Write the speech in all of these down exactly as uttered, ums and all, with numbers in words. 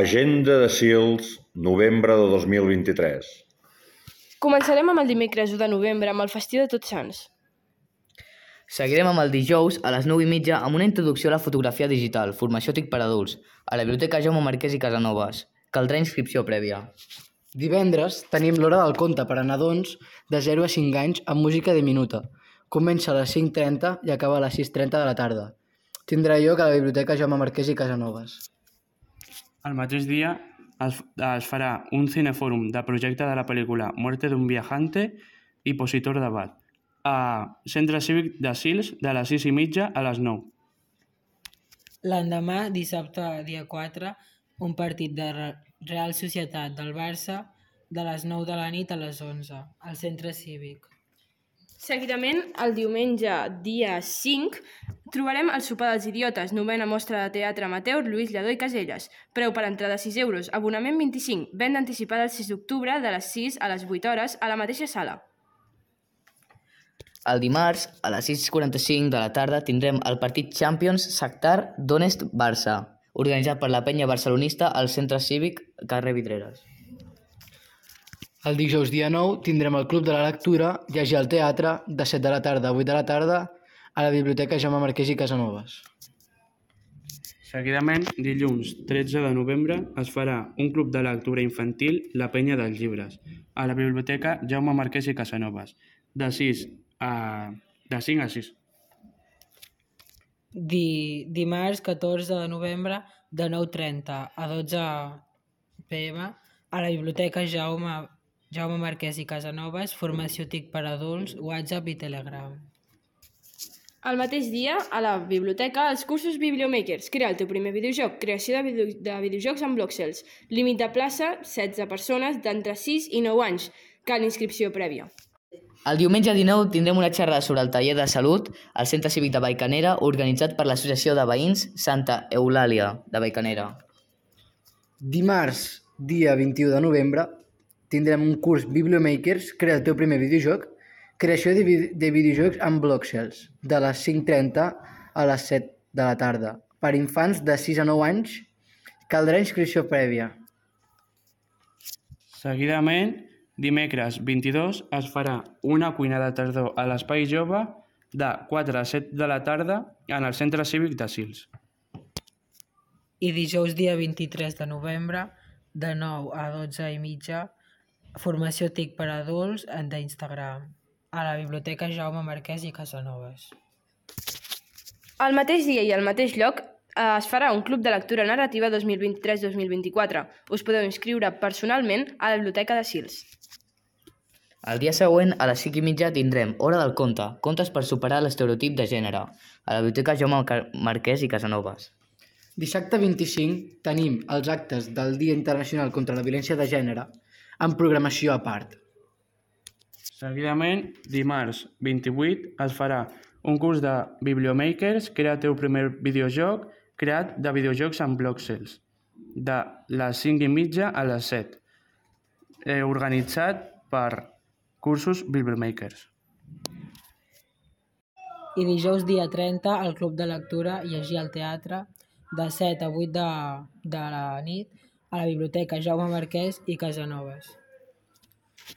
Agenda de Sils, novembre de dos mil vint-i-tres. Començarem amb el dimecres u de novembre amb el festiu de Tots Sants. Seguirem amb el dijous a les nou i mitja amb una introducció a la fotografia digital, formació TIC per adults, a la Biblioteca Jaume Marquès i Casanovas. Caldrà inscripció prèvia. Divendres tenim l'hora del conte per a nadons de zero a cinc anys amb música diminuta. Comença a les cinc trenta i acaba a les sis trenta de la tarda. Tindrà lloc a la Biblioteca Jaume Marquès i Casanovas. El mateix dia es, es farà un cinefòrum de projecte de la pel·lícula Muerte d'un viajante i Positor d'Abat a Centre Cívic de Sils de les sis i mitja a les nou. L'endemà, dissabte, dia quatre, un partit de Real Societat del Barça de les nou de la nit a les onze, al Centre Cívic. Seguidament, el diumenge, dia cinc, trobarem el sopar dels idiotes, novena mostra de teatre amateur Lluís Lladó i Caselles. Preu per entrada sis euros, abonament vint-i-cinc, venda anticipada el sis d'octubre de les sis a les vuit hores a la mateixa sala. El dimarts, a les sis quaranta-cinc de la tarda, tindrem el partit Champions Shakhtar Donetsk-Barça, organitzat per la penya barcelonista al Centre Cívic carrer Vidreres. El dijous dia nou tindrem el Club de la Lectura Llegir al Teatre de set de la tarda a vuit de la tarda a la Biblioteca Jaume Marquès i Casanovas. Seguidament, dilluns tretze de novembre, es farà un club de lectura infantil La Penya dels Llibres a la Biblioteca Jaume Marquès i Casanovas de sis a de cinc a sis. Di, dimarts catorze de novembre de nou trenta a dotze p m a la Biblioteca Jaume, Jaume Marquès i Casanovas, formació TIC per adults, WhatsApp i Telegram. El mateix dia, a la biblioteca, els cursos Bibliomakers. Crea el teu primer videojoc. Creació de, video, de videojocs amb Blockcells. Límit de plaça, setze persones d'entre sis i nou anys. Cal inscripció prèvia. El diumenge dinou tindrem una xerrada sobre el taller de salut al Centre Cívic de Vallcanera organitzat per l'Associació de Veïns Santa Eulàlia de Vallcanera. Dimarts, dia vint-i-u de novembre, tindrem un curs Bibliomakers, crea el teu primer videojoc, creació de, vi de videojocs amb Blockcells, de les cinc trenta a les set de la tarda. Per infants de sis a nou anys, caldrà inscripció prèvia. Seguidament, dimecres vint-i-dos, es farà una cuina de tardor a l'Espai Jove de quatre a set de la tarda en el Centre Cívic de Sils. I dijous dia vint-i-tres de novembre, de nou a dotze i mitja, formació TIC per adults d'Instagram, a la Biblioteca Jaume Marquès i Casanovas. Al mateix dia i al mateix lloc es farà un club de lectura narrativa dos mil vint-i-tres dos mil vint-i-quatre. Us podeu inscriure personalment a la Biblioteca de Sils. El dia següent, a les cinc i mitja, tindrem Hora del Conte, contes per superar l'estereotip de gènere, a la Biblioteca Jaume Marquès i Casanovas. Dissabte vint-i-cinc tenim els actes del Dia Internacional contra la Violència de Gènere amb programació a part. Seguidament, dimarts vint-i-vuit, es farà un curs de Bibliomakers, crea el teu primer videojoc, creat de videojocs amb Blockcells, de les cinc i mitja a les set, eh, organitzat per cursos Bibliomakers. I dijous dia trenta, el Club de Lectura Llegir al Teatre, de set a vuit de, de la nit, a la Biblioteca Jaume Marquès i Casanovas.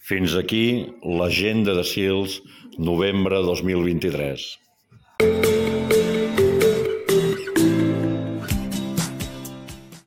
Fins aquí l'Agenda de Sils, novembre dos mil vint-i-tres.